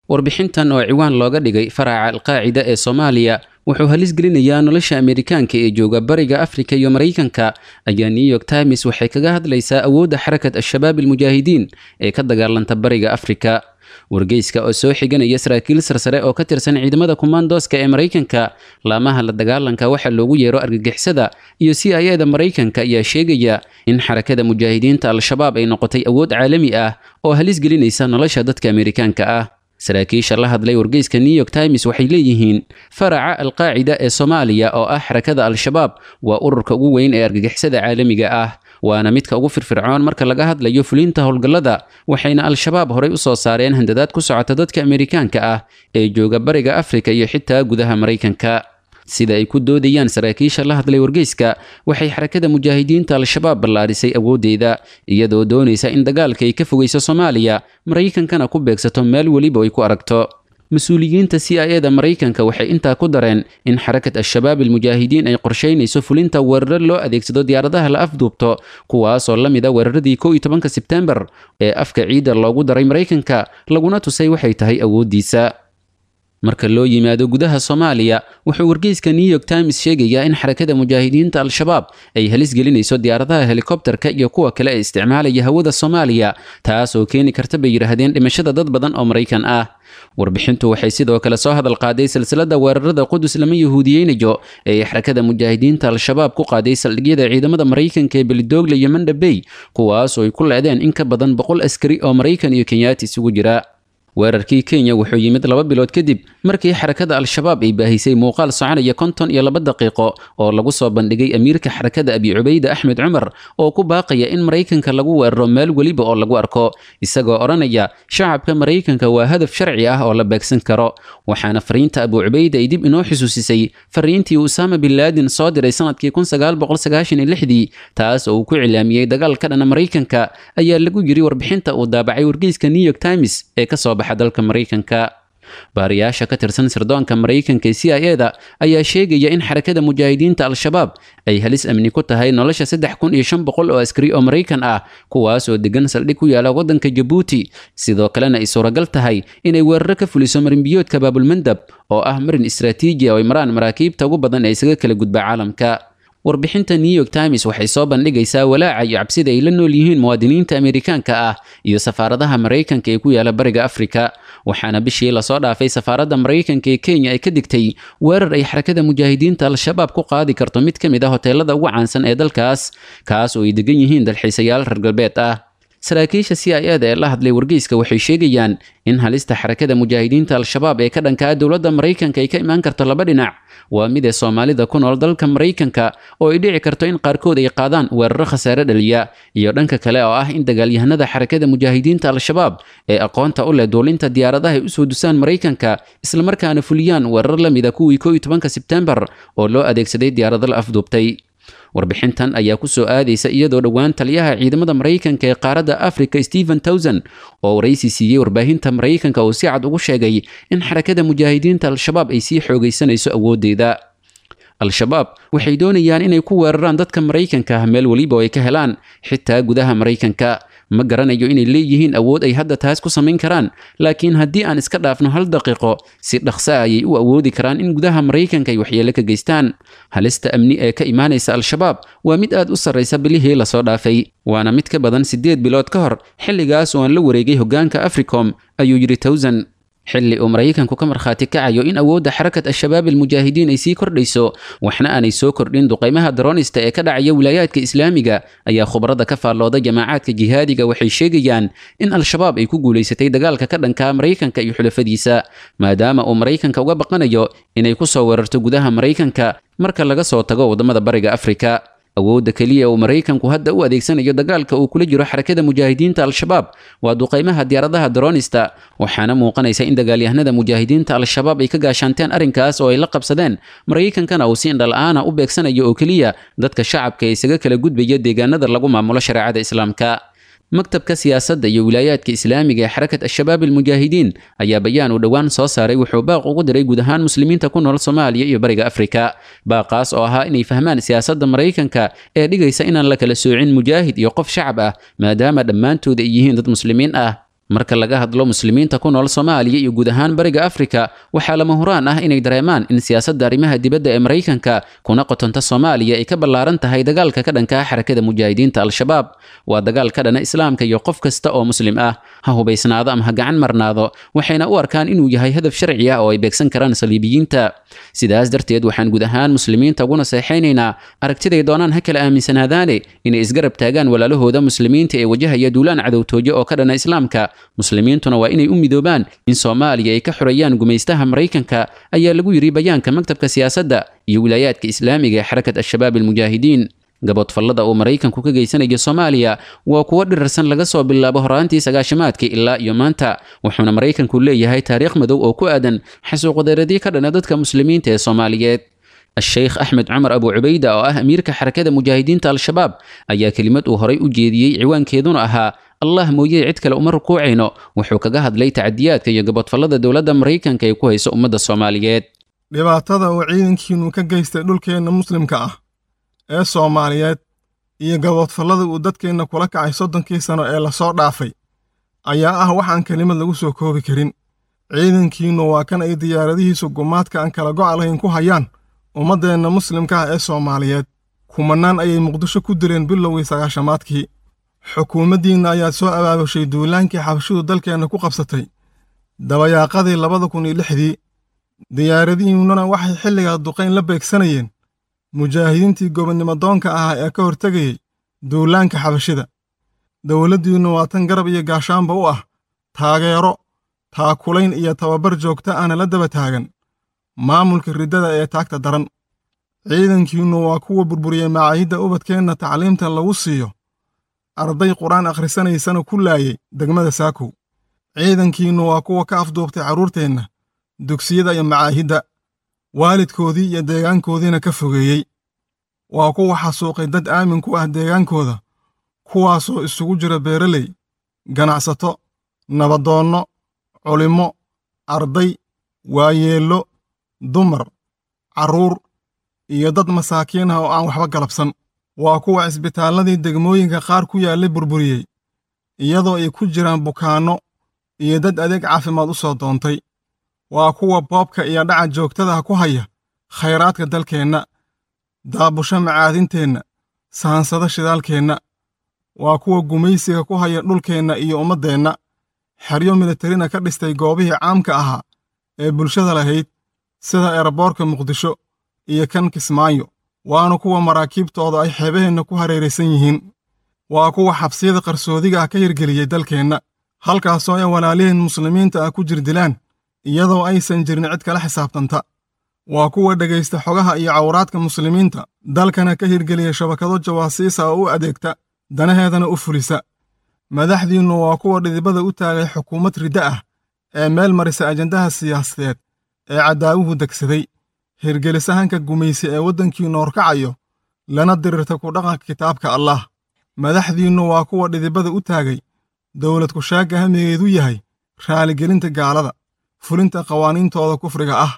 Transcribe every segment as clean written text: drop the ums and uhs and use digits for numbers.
Warbixintan oo ciwaan looga dhigay "Faraca Alqaacida ee Soomaaliya wuxuu halis gelinayaa nolosha Ameerikaanka ee jooga Bariga Afrika iyo Maraykanka" ayaa New York Times waxay kaga hadlaysaa awoodda Xarakat Al-Shabaab Almujaahidiin ee ka dagaalanta Bariga Afrika. Wargeyska oo soo xiganaya saraakiil sarsare oo ka tirsan ciidamada kumaandooska ee Maraykanka, laamaha la dagaalanka waxa loogu yeero argagixisada iyo CIA da Maraykanka ayaa sheegaya in Xarakada Mujaahidiinta Al-Shabaab ay noqotay awood caalami ah oo halis gelinaysa nolosha dadka Ameerikaanka ah. Saraakiisha la hadlay wargeyska New York Times waxay leeyihiin faraca Alqaacida ee Soomaaliya oo ah Xarakada Al-Shabaab waa ururka ugu weyn ee argagixisada caalamiga ah, waana midka ugu firfircoon marka laga hadlayo fulinta howlgallada. Waxayna Al-Shabaab horey u soo saareen handadaad ku socota dadka Ameerikaanka ah ee jooga Bariga Afrika iyo xitaa gudaha Maraykanka. Sida ay ku doodayaan saraakiisha la hadlay wargeyska, waxay Xarakada Mujaahidiinta Al-Shabaab ballaarisay awooddeeda, iyadoo doonaysa in dagaalka ay ka fogeyso Soomaaliya, Maraykankana ku beegsato meel weliba ay ku aragto. Mas-uuliyiinta CIA da Maraykanka waxay intaa ku dareen in Xarakat Al-Shabaab Almujaahidiin ay qorsheynayso fulinta weeraro loo adeegsado diyaaradaha la afduubto, kuwaasoo la mid a weeraradii 11-ka Sebtembar ee afka ciidda loogu daray Maraykanka, laguna tusay waxay tahay awooddiisa. Marka loo yimaado gudaha Soomaaliya, wuxuu wargeyska New York Times sheegayaa in Xarakada Mujaahidiinta Al-Shabaab ay halis gelinayso diyaaradaha helikobterka iyo kuwa kale ee isticmaalaya hawada Soomaaliya, taas oo keeni karta, bay yidhaahdeen, dhimashada dad badan oo Maraykan ah. Warbixintu waxay sidoo kale soo hadal qaaday silsilada weerarada "Qudus lama yahuudiyeynayo" ee Xarakada Mujaahidiinta Al-Shabaab ku qaaday saldhigyada ciidamada Maraykanka ee Belidoogle iyo Mandhabey, kuwaas oo ay ku leedeen in ka badan 100 askari oo Maraykan iyo Kenyaati isugu jira. Weerarkii Kenya wuxuu yimid 2 bilood kadib markii Xarakada Al-Shabaab ay baahisay muuqaal soconaya 52 daqiiqo oo lagu soo bandhigay amiirka xarakada, Abi Cubayda Axmed Cumar, oo ku baaqaya in Maraykanka lagu weeraro meel weliba oo lagu arko, isagoo odhanaya shacabka Maraykanka waa hadaf sharci ah oo la beegsan karo. Waxaana fariinta Abu Cubayda ay dib inoo xusuusisay fariintii Usaama bin Laadin soo diray sanadkii 1996-dii, taas oo uu ku cilaamiyey dagaal ka dhana Maraykanka, ayaa lagu yiri warbixinta uu daabacay wargeyska New York Times ee kasoo baxa dalka Maraykanka. Baariyaasha ka tirsan sirdoonka Maraykanka ee CIA da ayaa sheegaya in Xarakada Mujaahidiinta Al-Shabaab ay halis amni ku tahay nolosha 3500 oo askari oo Maraykan ah, kuwaas oo degan saldhig ku yaala waddanka Jabuuti. Sidoo kalena ay suuragal tahay inay weeraro ka fuliso marinbiyoodka Baabulmandab oo ah marin istaraatiiji oo ay maraan maraakiibta ugu badan ee isaga kala gudba caalamka. Warbixinta New York Times waxay soo bandhigaysaa walaaca iyo cabsida ay la nool yihiin muwaadiniinta Ameerikaanka ah iyo safaaradaha Maraykanka ee ku yaala Bariga Afrika. Waxaana bishii lasoo dhaafay safaaradda Maraykanka ee Kenya ay ka digtay weerar ay Xarakada Mujaahidiinta Al-Shabaab ku qaadi karto mid ka mid ah hoteelada ugu caansan ee dalkaas, kaas oo ay degan yihiin dalxiisayaal reer galbeed ah. Saraakiisha CIA da ee la hadlay wargeyska waxay sheegayaan in halista Xarakada Mujaahidiinta Al-Shabaab ee ka dhankaa dowladda Maraykanka ay ka imaan karto laba dhinac. Waa mid ee Soomaalida ku nool dalka Maraykanka oo ay dhici karto in qaarkood ay qaadaan weeraro khasaare dhaliya, iyo dhanka kale oo ah in dagaalyahanada Xarakada Mujaahidiinta Al-Shabaab ee aqoonta u leh duulinta diyaaradaha ay usoo dusaan Maraykanka, islamarkaana fuliyaan weerar la mida kuwii 11-ka Sebtembar oo loo adeegsaday diyaarado la afduubtay. Warbixintan ayaa ku soo aadaysa iyadoo dhowaan taliyaha ciidamada Maraykanka ee qaaradda Africa, Stephen Towson, oo waraysi siiyey warbaahinta Maraykanka uu si cad ugu sheegay in Xarakada Mujaahidiinta Al-Shabaab ay sii xoogaysanayso awooddeeda. Al-Shabaab waxay doonayaan inay ku weeraraan dadka Maraykanka ah meel weliba oo ay ka helaan, xitaa gudaha Maraykanka. Ma garanayo inay leeyihiin awood ay hadda taas ku samayn karaan, laakiin haddii aan iska dhaafno hal daqiiqo, si dhaqso ah ayay u awoodi karaan in gudaha Maraykanka ay waxyeelo ka geystaan. Halista amni ee ka imaanaysa Al-Shabaab waa mid aad u sarraysa bilihii lasoo dhaafay, waana mid ka badan 8 bilood ka hor xilligaas oo aan la wareegay hoggaanka Africom, ayuu yidhi Towson. Xilli uu Maraykanku ka markhaati kacayo in awoodda Xarakat Al-Shabaab Almujaahidiin ay sii kordhayso, waxna aanay soo kordhin duqaymaha daroonista ee ka dhacaya wilaayaadka Islaamiga, ayaa khubarada ka faallooda jamacaadka jihaadiga waxay sheegayaan in Al-Shabaab ay ku guulaysatay dagaalka ka dhanka Maraykanka iyo xulafadiisa, maadaama uu Maraykanka uga baqanayo inay ku soo weerarto gudaha Maraykanka marka laga soo tago waddamada Bariga Afrika. Awoodda keliya uu Maraykanku hadda u adeegsanayo dagaalka uu kula jiro Xarakada Mujaahidiinta Al-Shabaab waa duqaymaha diyaaradaha daroonista, waxaana muuqanaysa in dagaalyahanada Mujaahidiinta Al-Shabaab ay ka gaashaanteen arrinkaas oo ay la qabsadeen, Maraykankana uu si indhala-aana u beegsanayo oo keliya dadka shacabka ee isaga kala gudbaya deegaanada lagu maamulo shareecada Islaamka. Maktabka siyaasadda iyo wilaayaadka Islaamiga ee Xarakat Al-Shabaab Almujaahidiin ayaa bayaan uu dhowaan soo saaray wuxuu baaq ugu diray guud ahaan muslimiinta ku nool Soomaaliya iyo Bariga Afrika, baaqaas oo ahaa inay fahmaan siyaasadda Maraykanka ee dhigaysa inaan la kala soocin mujaahid iyo qof shacab ah, maadaama dhammaantood ay yihiin dad muslimiin ah. Marka laga hadlo muslimiinta ku nool Soomaaliya iyo guud ahaan Bariga Afrika, waxaa lama huraan ah inay dareemaan in siyaasadda arrimaha dibadda ee Maraykanka kuna qotonta Soomaaliya ay ka ballaaran tahay dagaalka ka dhanka ah Xarakada Mujaahidiinta Al-Shabaab. Waa dagaal ka dhana Islaamka iyo qof kasta oo muslim ah, ha hubaysnaado ama ha gacan marnaado, waxayna u arkaan inuu yahay hadaf sharci ah oo ay beegsan karaan saliibiyiinta. Sidaas darteed, waxaan guud ahaan muslimiinta ugu naseexaynaynaa, aragtiday doonaan ha kala aaminsanaadaane, inay isgarab taagaan walaalahooda muslimiinta ee wajahaya duulaan cadowtooyo oo ka dhana Islaamka. Muslimiintuna waa inay u midoobaan in Soomaaliya ay ka xoreeyaan gumaystaha Maraykanka, ayaa lagu yidhi bayaanka maktabka siyaasadda iyo wilaayaadka islaamiga ee Xarakat Al-Shabaab Almujaahidiin. Gaboodfallada uu Maraykanku ka geysanayo Soomaaliya waa kuwo dhirarsan laga soo bilaabo horaantii 90-aadkii ilaa iyo maanta, wuxuuna Maraykanku leeyahay taariikh madow oo ku aadan xasuuqadeeradii ka dhana dadka muslimiinta ee Soomaaliyeed. Sheikh Axmed Cumar Abu Cubayda oo ah amiirka Xarakada Mujaahidiinta Al-Shabaab ayaa kelimad uu horay u jeediyey ciwaankeeduna ahaa "Allah mooye cid kale uma rukuucayno" wuxuu kaga hadlay tacadiyaadka iyo gaboodfallada dowladda Maraykanka ay ku hayso ummadda Soomaaliyeed. Dhibaatada uu ciidankiinnu ka geystay dhulkeenna muslimka ah ee Soomaaliyeed iyo gaboodfallada uu dadkeenna kula kacay 30-kii sano ee lasoo dhaafay ayaa ah waxaan kelimad lagu soo koobi karin. Ciidankiinnu waa kan ay diyaaradihiisu gumaadka aan kala go'a lahayn ku hayaan ummaddeenna muslimka ah ee Soomaaliyeed. Kumannaan ayay Muqdisho ku dileen bilowgii 90-aadkii. Xukuumaddiinna ayaa soo abaabushay duulaankii xabashidu dalkeenna ku qabsatay dabayaaqadii 2006-dii. Diyaaradihiinnuna waxay xilligaa duqayn la beegsanayeen mujaahidiintii gobonnimo doonka ahaa ee ka hortegayey duulaanka xabashida. Dowladdiinnu waa tan garab iyo gaashaanba u ah, taageero, taakulayn iyo tababar joogto ahna la daba taagan maamulka riddada ee taagta daran. Ciidankiinnu waa kuwa burburiyey macaahidda ubadkeenna tacliimta lagu siiyo, arday qur-aan akhrisanaysana ku laayay degmada Saakow. Ciidankiinnu waa kuwa ka afduubtay carruurteenna dugsiyada iyo macaahidda, waalidkoodii iyo deegaankoodiina ka fogeeyey. Waa kuwa xasuuqay dad aamin ku ah deegaankooda, kuwaasoo isugu jira beeraley, ganacsato, nabadoonno, culimmo, arday, waayeello, dumar, carruur iyo dad masaakiin ah oo aan waxba galabsan. Waa kuwa cisbitaalladii degmooyinka qaar ku yaallay burburiyey, iyadoo ay ku jiraan bukaanno iyo dad adeeg caafimaad u soo doontay. Waa kuwa boobka iyo dhaca joogtadaha ku haya khayraadka dalkeenna, daabusho macaadinteenna, sahansada shidaalkeenna. Waa kuwa gumaysiga ku haya dhulkeenna iyo ummaddeenna, xeryo militarina ka dhistay goobihii caamka ahaa ee bulshada lahayd, sida eraboorka Muqdisho iyo kan Kismaayo, waana kuwa maraakiibtooda ay xeebaheenna ku hareeraysan yihiin. Waa kuwa xabsiyada qarsoodiga ah ka hirgeliyey dalkeenna, halkaasoo ay walaaliheen muslimiinta ah ku jirdilaan iyadoo aysan jirin cid kala xisaabtanta. Waa kuwa dhegaysta xogaha iyo cawraadka muslimiinta, dalkana ka hirgeliya shabakado jawaasiisa oo u adeegta danaheedana u fulisa. Madaxdiinnu waa kuwa dhidibada u taagay xukuumad riddo ah ee meel marisa ajandaha siyaasadeed ee cadaawuhu degsaday, hirgelisahanka gumaysi ee waddankiinnu horkacayo, lana dirirta ku dhaqanka kitaabka Allaah. Madaxdiinnu waa kuwa dhidibada u taagay dowlad kushaagga hamigeedu yahay raaligelinta gaalada, fulinta qawaaniintooda kufriga ah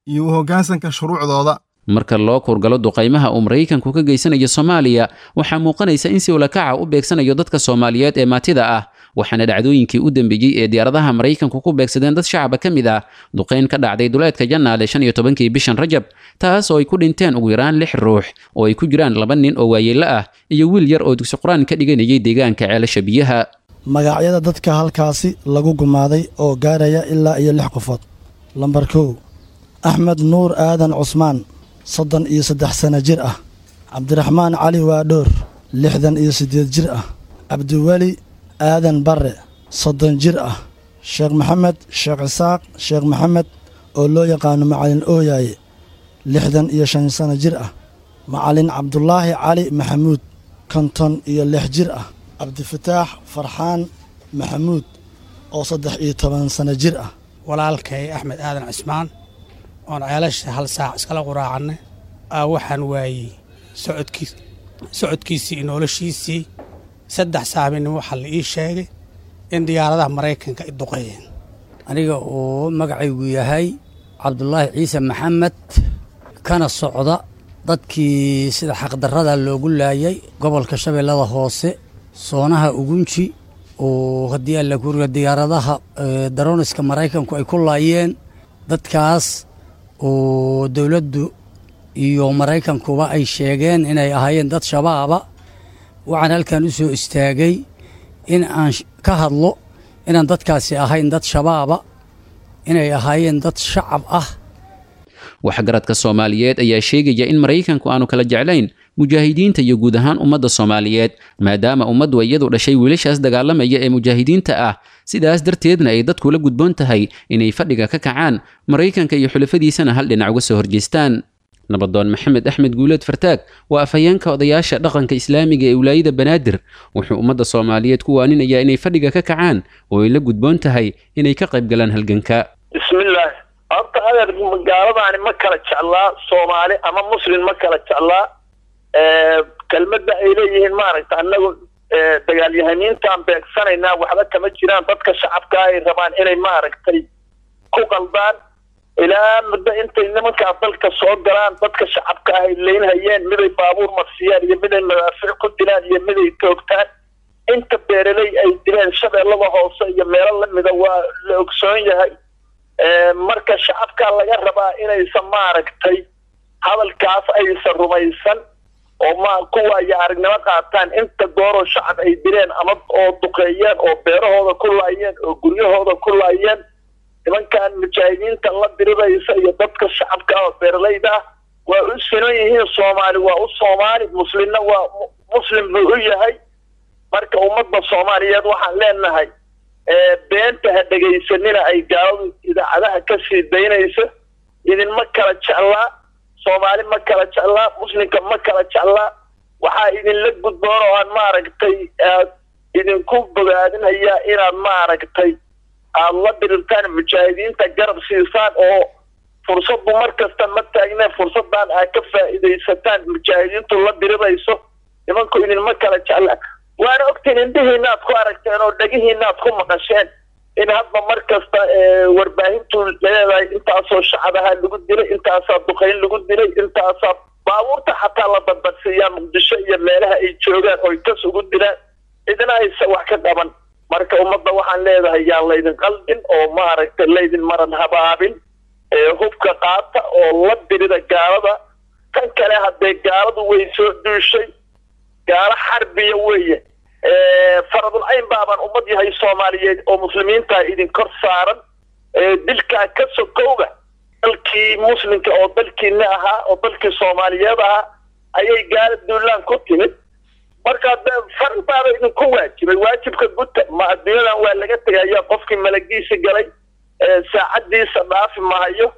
iyo u hoggaansanka shuruucdooda. Marka loo kuurgalo duqaymaha uu Maraykanku ka geysanayo Soomaaliya, waxaa muuqanaysa in si ulakaca u beegsanayo dadka Soomaaliyeed ee maatida ah, waxaana dhacdooyinkii u dambeeyey ee diyaaradaha Maraykanku ku beegsadeen dad shacaba ka mid ah duqayn ka dhacday duleedka Jannaale 15-kii bishan Rajab, taas oo ay ku dhinteen ugu yaraan 6 ruux oo ay ku jiraan 2 nin oo waayeello ah iyo wiil yar oo dugsi qur-aan ka dhiganayay deegaanka Ceelasha Biyaha. Magacyada dadka halkaasi lagu gumaaday oo gaaraya ilaa iyo 6 qofood. Lambar 1, Axmed Nuur Aadan Cusmaan, 33 sano jir ah. Cabdiraxmaan Cali Waadhoor, 68 jir ah. Cabdiweli Aadan Barre, 30 jir ah. Sheekh Maxamed Sheekh Isaaq Sheekh Maxamed oo loo yaqaano Macalin Ooyaaye, 65 sano jir ah. Macalin Cabdulaahi Cali Maxamuud, 56 jir ah. Cabdifataax Farxaan Maxamuud oo 13 sano jir ah. Walaalkay Axmed Aadan Cismaan oon ceelasha hal saac iskala quraacannay, waxaan waayey socodkiisii iyo noloshiisii. 3 saaminimo waxaa la ii sheegay in diyaaradaha Maraykanka ay duqeeyeen. Aniga oo magacaygu yahay Cabdulaahi Ciise Maxamed, kana socda dadkii sida xaqdarrada loogu laayay gobolka Shabeellada Hoose, soonaha Ugunji, Oo haddii alla kuriga diyaaradaha darooniska Maraykanku ay ku laayeen dadkaas oo dowladdu iyo Maraykankuba ay sheegeen inay ahaayeen dad Shabaaba. Waxaan halkan u soo istaagay in aan ka hadlo inaan dadkaasi ahayn dad Shabaaba, inay ahaayeen dad shacab ah. Waxgaradka Soomaaliyeed ayaa sheegaya in Maraykanku aanu kala jeclayn mujaahidiinta iyo guud ahaan ummadda Soomaaliyeed, maadaama ummaddu iyadu dhashay wiilashaas dagaalamaya ee mujaahidiinta ah, sidaas darteedna ay dadku la gudboon tahay inay fadhiga ka kacaan, Maraykanka iyo xulafadiisana hal dhinac uga soo horjeestaan. Nabadoon Maxamed Axmed Guuleed Fartaag waa afhayeenka odayaasha dhaqanka islaamiga ee wilaayada Banaadir. Wuxuu ummadda Soomaaliyeed ku waaninayaa inay fadhiga ka kacaan oo ay la gudboon tahay inay ka qayb galaan halganka. Bismillaah. Horta adeer, gaaladaani ma kala jeclaa Soomaali ama Muslim, ma kala jeclaa. Kelmadda ay leeyihiin maaragta annagu dagaalyahaniintaan beegsanaynaa waxba kama jiraan. Dadka shacabka ay rabaan inay maaragtay ku qaldaan. Ilaa muddo intay nimankaa dalka soo galaan dadka shacabka ah ay leynhayeen, miday baabuur marsiyaan iyo miday madaafiic ku dilaan iyo miday toogtaan. Inta beeraley ay dileen Shabeellada Hoose iyo meelo lamida waa la ogsoon yahay. Marka shacabka laga rabaa inaysan maaragtay hadalkaas aysan rumaysan oo ma kuwa iyo aragnimo qaataan. Inta gooroo shacab ay dileen ama oo duqeeyeen oo beerahooda ku laayeen oo guryahooda ku laayeen, nimankan mujaahidiinta la diribaysa iyo dadka shacabka oo beeralayda ah waa u sinan yihiin. Soomaali waa u Soomaali, muslimna waa muslim buu u yahay. Marka ummadda Soomaaliyeed waxaan leenahay beenta ha dhegaysanina ay gaaladu idaacadaha ka sii daynayso. Idinma kala jeclaa, Soomaali ma kala jeclaa, muslimka ma kala jeclaa. Waxaa idinla gudboon oo aan maaragtay aad idinku bogaadinayaa inaad maaragtay aada la dirirtaan mujaahidiinta, garab siisaan, oo fursaddu mar kasta ma taagne, fursaddan aad ka faa'iidaysataan mujaahidiintu la dirirayso. Nimanku idinma kala jeclaa, waana ogtiin, indhihiinaad ku aragteen oo dhegihiinaad ku maqasheen in hadba mar kasta warbaahintu leedahay intaasoo shacabaha lagu dilay, intaasaa duqayn lagu dilay, intaasaa baabuurta xataa la badbadsiiyaa Muqdisho iyo meelaha ay joogaan oy kas ugu dilaan, cidina aysa wax ka qaban. Marka ummadda waxaan leedahay yaan laydin qaldin oo maaragtay laydin maran habaabin. Hubka qaata oo la dirida gaalada. Tan kale haddee gaaladu way soo duushay, gaalo xarbiya weeye. Faradul cayn baabaan ummad yahay Soomaaliyeed oo muslimiinta idin kor saaran. Dilkaa ka sokowga dalkii muslimka oo dalkiina ahaa oo dalkii Soomaaliyeed ahaa ayay gaala duulaan ku timid. Marka faral baaba idinku waajibay, waajibka guta. Ma adduunyadan waa laga tegaya, qofkii malagiisa galay saacadiisa dhaafi mahayo,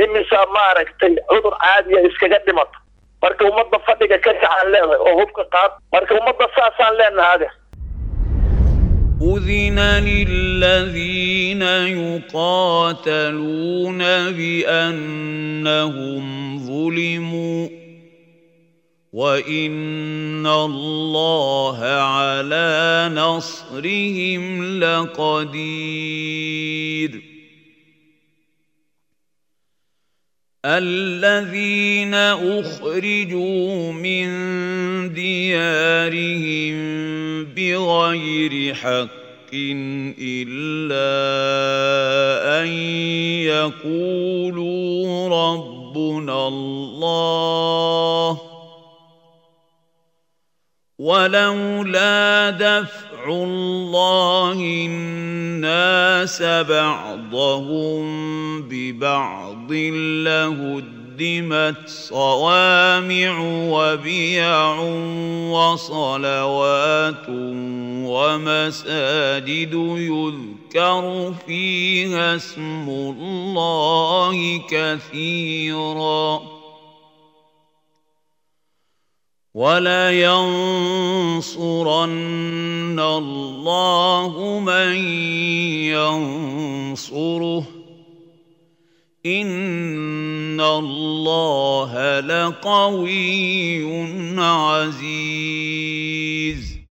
imisaa maaragtay cudur caadiya iskaga dhimata. Marka ummadda fadhiga ka kacaan leedahay oo hubka qaad. Marka ummadda saasaan leenahay. أذن للذين يقاتلون بأنهم ظلموا وإن الله على نصرهم لقدير. الذين أخرجوا من ديارهم بغير حق إلا أن يقولوا ربنا الله ولولا دفع الله الناس بعضهم ببعض لهدمت صوامع وبيع وصلوات ومساجد يذكر فيها اسم الله كثيرا ولينصرن الله من ينصره إن الله لقوي عزيز.